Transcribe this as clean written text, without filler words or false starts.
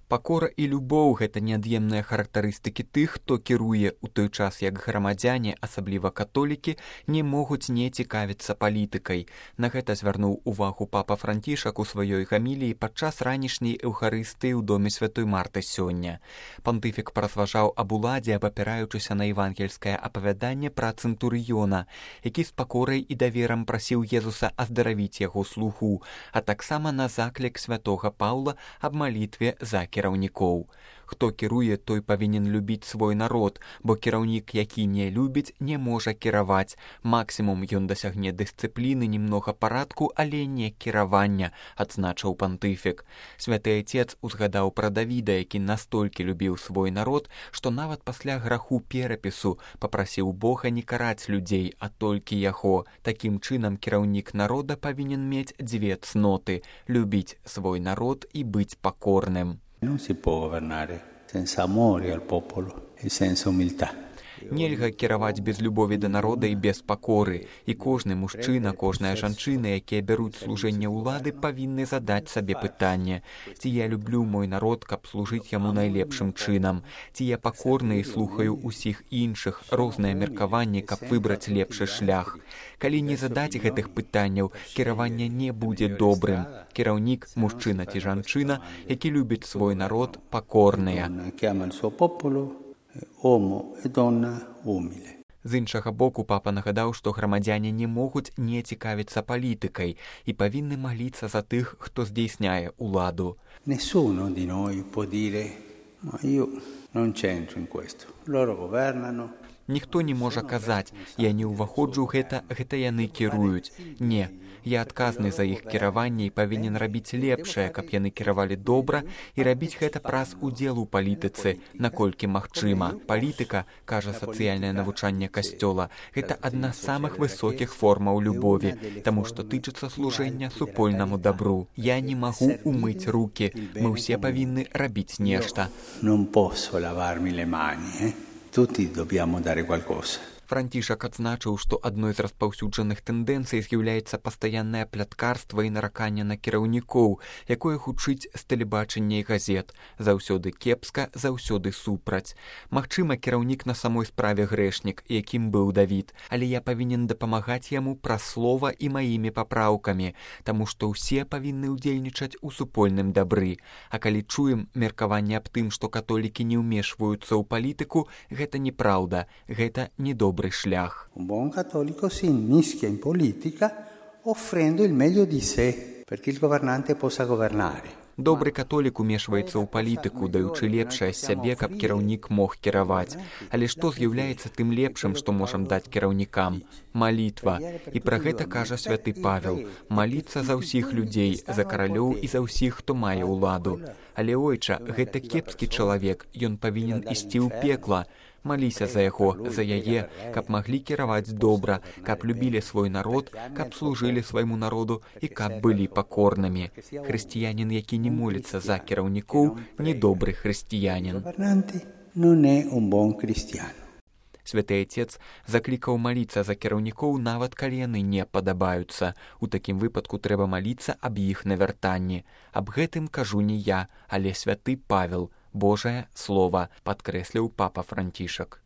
Пакора і любоў – гэта неад'емныя характарыстыкі тых, хто кіруе, у той час як грамадзяне, асабліва католікі, не могуць не цікавіцца палітыкай. На гэта звярнуў увагу папа Францішак у сваёй гаміліі падчас ранішняй эўхарыстыі ў доме святой Марты сёння. Пантыфік паразважаў аб уладзе, абапіраючыся на евангельскае апавяданне пра цэнтурыёна, які з пакорай і даверам прасіў Езуса аздаравіць яго слугу, а таксама на заклік святога Паўла аб малітве за кіраўнікоў. Хто кіруе, той павінен любіць свой народ, бо кіраўнік, які не любіць, не можа кіраваць. Максімум ён дасягне дысцыпліны, немнога парадку, але не кіравання, адзначыў пантыфік. Святы Отец узгадаў пра Давіда, які настолькі любіў свой народ, што нават пасля граху перапісу папрасіў Бога не караць людзей, а толькі яго. Такім чынам кіраўнік народа павінен мець дзве цноты – любіць свой народ і быць пакорным. Non si può governare senza amore al popolo e senza umiltà. Нельга кіраваць без любові да народа і без пакоры. І кожны мужчына, кожная жанчына, якія бяруць служэнне ўлады, павінны задаць сабе пытанне: ці я люблю мой народ, каб служыць яму найлепшым чынам? Ці я пакорны і слухаю ўсіх іншых, розныя меркаванні, каб выбраць лепшы шлях? Калі не задаць гэтых пытанняў, кіраванне не будзе добрым. Кіраўнік, мужчына ці жанчына, які любіць свой народ, пакорныя. З іншага боку, папа нагадаў, што грамадзяне не могуць не цікавіцца палітыкай і павінны маліцца за тых, хто здзейсняе ўладу. Nessuno di noi può dire: "Ma io non c'entro in questo. Loro governano". Ніхто не можа казаць: я не ўваходжу ў гэта яны кіруюць. Не, я адказны за іх кіраванне і павінен рабіць лепшае, каб яны кіравалі добра і рабіць гэта праз удзел у палітыцы, наколькі магчыма. Палітыка, кажа сацыяльнае навучанне Касцёла, гэта адна з самых высокіх формаў любові, таму што тычыцца служэння супольнаму дабру. Я не магу умыць рукі, мы ўсе павінны рабіць нешта. Non posso lavarmi le mani, Tutti dobbiamo dare qualcosa. Францішак адзначыў, што адной з распаўсюджаных тэндэнцый з'яўляецца пастаяннае пляткарства і нараканне на кіраўнікоў, якое гучыць з тэлебачання і газет. Заўсёды кепска, заўсёды супраць. Магчыма, кіраўнік на самой справе грэшнік, якім быў Давід, але я павінен дапамагаць яму праз слова і маімі папраўкамі, таму што ўсе павінны ўдзельнічаць у супольным дабры. А калі чуем меркаванне аб тым, што католікі не ўмешваюцца ў палітыку, гэта неправда, гэта недобра. Un buon cattolico si inmischia in politica offrendo il meglio di sé perché il governante possa governare. Добры католік умешваецца ў палітыку, даючы лепшае з сябе, каб кіраўнік мог кіраваць. Але што з'яўляецца тым лепшым, што можам даць кіраўнікам? Малітва. І пра гэта кажа святы Павел. Маліцца за ўсіх людзей, за каралёў і за ўсіх, хто мае ўладу. Але, ойча, гэта кепскі чалавек, ён павінен ісці ў пекла. Маліся за яго, за яе, каб маглі кіраваць добра, каб любілі свой народ, каб служылі свайму народу і каб былі пакорнымі. Хрысціянін, які не моліцца за кіраўнікоў, недобры хрысціянін. Святы Отец заклікаў маліцца за кіраўнікоў, нават калі яны не падабаюцца. У такім выпадку трэба маліцца аб іх навяртанні. Аб гэтым кажу не я, але святы Павел. Божае Слова, падкрэсліў папа Францішак.